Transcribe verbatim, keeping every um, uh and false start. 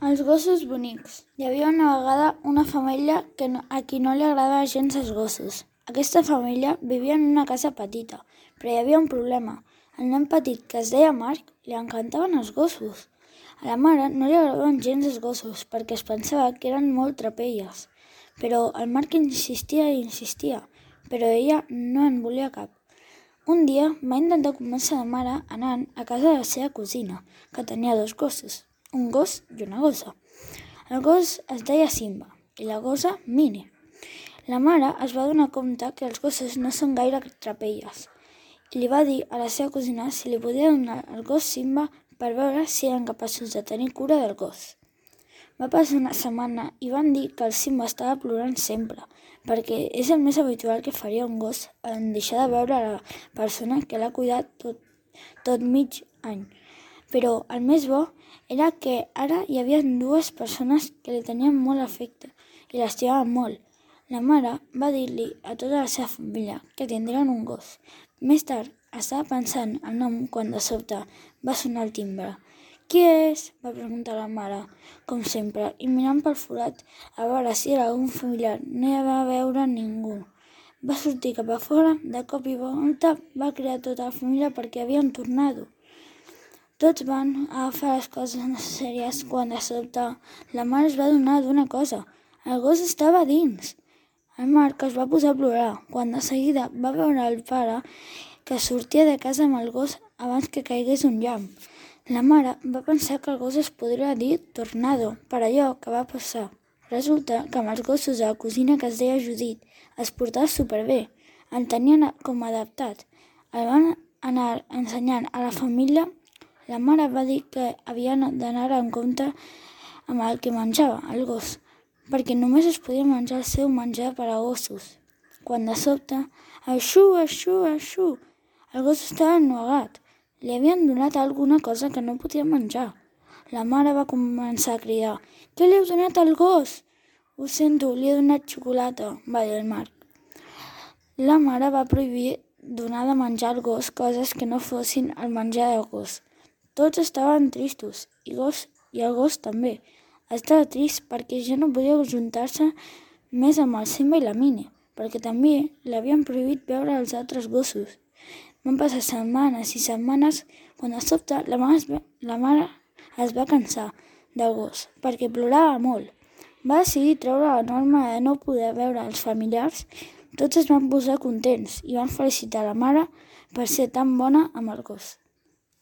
Els gossos bonics. Hi havia una vegada una família que no, a qui no li agradava gens els gossos. Aquesta família vivia en una casa petita, però hi havia un problema. Al nen petit, que es deia Marc, li encantaven els gossos. A la mare no li agradaven gens els gossos perquè es pensava que eren molt trapelles. Però el Marc insistia i insistia, però ella no en volia cap. Un dia va intentar convèncer la mare anant a casa de la seva cosina, que tenia dos gossos, un gos i una gossa. El gos es deia Simba i la gossa Minnie. La mare es va donar compte que els gossos no són gaire trapelles i li va dir a la seva cosina si li podia donar el gos Simba per veure si eren capaços de tenir cura del gos. Va passar una setmana i van dir que el Simba estava plorant sempre, perquè és el més habitual que faria un gos en deixar de veure la persona que l'ha cuidat tot, tot mig any. Però el més bo era que ara hi havia dues persones que li tenien molt afecte i l'estimaven molt. La mare va dir-li a tota la seva família que tindrien un gos. Més tard estava pensant el nom quan de sobte va sonar el timbre. «Qui és?», va preguntar la mare, com sempre, i mirant pel forat a veure si era algun familiar no hi va veure ningú. Va sortir cap a fora, de cop i volta va cridar tota la família perquè havia un tornado. Tots van agafar les coses necessàries quan de sobte la mare es va adonar d'una cosa. El gos estava dins. El Marc es va posar a plorar quan de seguida va veure el pare que sortia de casa amb el gos abans que caigués un llamp. La mare va pensar que el gos es podria dir Tornado per allò que va passar. Resulta que amb els gossos de la cosina que es deia Judit es portava superbé. El tenien com adaptat. El van anar ensenyant a la família. La mare va dir que havia d'anar en compte amb el que menjava, el gos, perquè només es podia menjar el seu menjar per a gossos. Quan de sobte, aixú, aixú, aixú, el gos estava ennuegat. Li havien donat alguna cosa que no podia menjar. La mare va començar a cridar: «Què li heu donat al gos?» «Ho sento, li he donat xocolata», va dir el Marc. La mare va prohibir donar de menjar al gos coses que no fossin el menjar del gos. Tots estaven tristos, i, gos, i el gos també. Estava trist perquè ja no podia ajuntar-se més amb el Simba i la Minnie, perquè també li havien prohibit veure els altres gossos. Van passar setmanes i setmanes quan de sobte la mare, es va, la mare es va cansar del gos perquè plorava molt. Va decidir treure la norma de no poder veure els familiars. Tots es van posar contents i van felicitar la mare per ser tan bona amb el gos.